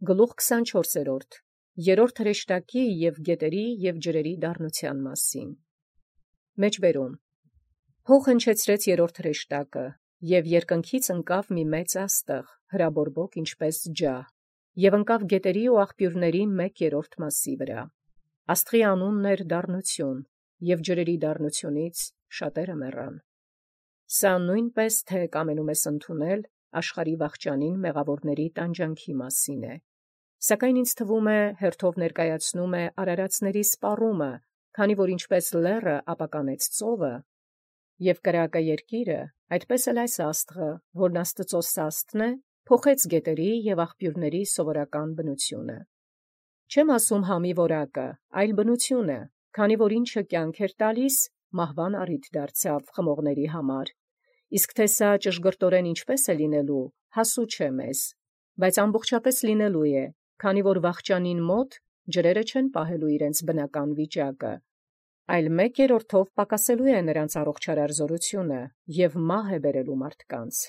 Գլուխ 24. Երրորդ հրեշտակի և գետերի և ջրերի դառնութեան մասին։ Մեջբերում. Հող հնչեցրեց երրորդ հրեշտակը, և երկնքից ընկավ մի մեծ աստղ, հրաբորբոք ինչպես ջահ, և ընկավ գետերի ու աղբյուրների 1/3 մասի վրա։ Աստղի անունն էր դառնություն, և ջրերի դառնությունից շատերը մեռան։ Սա նույնպես թե կամենում ես ընդունել աշխարհի վախճանին մեղավորների տանջանքի մասին է։ Սակայն ինձ թվում է, հերթով ներկայացնում է արարածների սպառումը, քանի որ ինչպես լեռը ապականեց ծովը, և կրակը երկիրը, այդպես էլ այս աստղը, որն Աստծո սաստն է, փոխեց գետերի և աղբյուրների սովորական բնությունը։ Չեմ ասում համի որակը, այլ բնությունը, քանի որ ինչը կյանք էր տալիս, մահվան առիթ դարձավ խմողների համար, իսկ թե սա ճշգրտորեն ինչպես է լինելու, հասու չէ մեզ, բայց ամբողջապես լինելու է, քանի որ վախճանին մոտ ջրերը չեն պահելու իրենց բնական վիճակը, այլ 1/3 պակասելու է նրանց առողջարար զորությունը և մահ է բերելու մարդկանց։